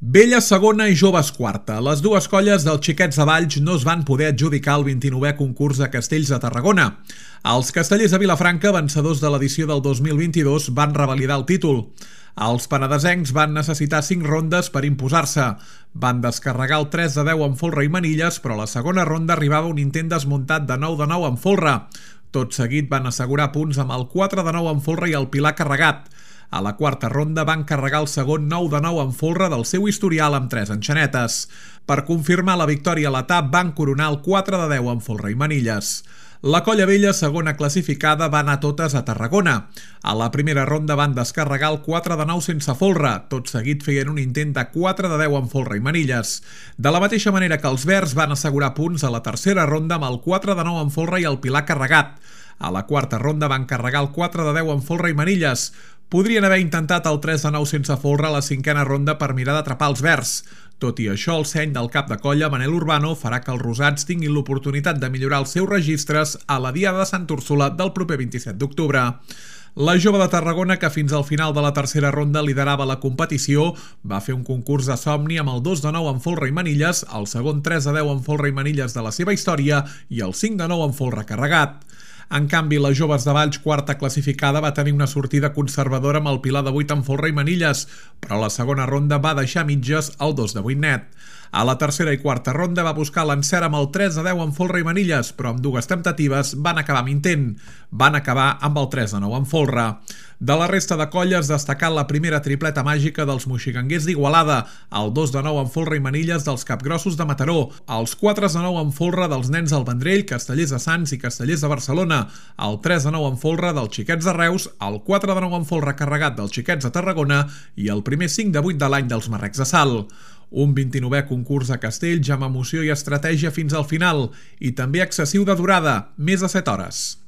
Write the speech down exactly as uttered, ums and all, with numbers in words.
Vella segona i Joves quarta. Les dues colles dels Xiquets de Valls no es van poder adjudicar el vint-i-novè concurs de castells de Tarragona. Els castellers de Vilafranca, vencedors de l'edició del dos mil vint-i-dos, van revalidar el títol. Els penedesencs van necessitar cinc rondes per imposar-se. Van descarregar el tres de deu amb folre i manilles, però a la segona ronda arribava un intent desmuntat de nou de nou amb folre. Tot seguit van assegurar punts amb el quatre de nou amb folre i el pilar carregat. A la quarta ronda van carregar el segon nou de nou amb folre del seu historial amb tres enxanetes. Per confirmar la victòria a l'etap van coronar el quatre de deu amb folre i manilles. La colla vella, segona classificada, va anar totes a Tarragona. A la primera ronda van descarregar el quatre de nou sense folre. Tot seguit feien un intent de quatre de deu amb folre i manilles. De la mateixa manera que els verds van assegurar punts a la tercera ronda amb el quatre de nou amb folre i el pilar carregat. A la quarta ronda van carregar el quatre de deu amb folre i manilles. Podrien haver intentat el tres de nou sense folre a la cinquena ronda per mirar d'atrapar els verds. Tot i això, el seny del cap de colla, Manel Urbano, farà que els rosats tinguin l'oportunitat de millorar els seus registres a la Diada de Sant Úrsula del proper vint-i-set d'octubre. La jove de Tarragona, que fins al final de la tercera ronda liderava la competició, va fer un concurs de somni amb el dos de nou amb folre i manilles, el segon tres de deu amb folre i manilles de la seva història i el cinc de nou amb folre carregat. En canvi, les Joves de Valls, quarta classificada, va tenir una sortida conservadora amb el pilar de vuit amb folre i manilles, però a la segona ronda va deixar mitges el dos de vuit net. A la tercera i quarta ronda va buscar l'encert amb el tres de deu amb folre i manilles, però amb dues temptatives van acabar amb intent. Van acabar amb el tres de nou amb folre. De la resta de colles, destacar la primera tripleta màgica dels moxiganguers d'Igualada, el dos de nou amb folre i manilles dels capgrossos de Mataró, els quatre de nou amb folre dels nens del Vendrell, castellers de Sants i castellers de Barcelona, el tres de nou amb folre dels Xiquets de Reus, el quatre de nou amb folre carregat dels Xiquets de Tarragona i el primer cinc de vuit de l'any dels Marrecs de Salt. Un vint-i-novè concurs de castells amb emoció i estratègia fins al final i també excessiu de durada, més de set hores.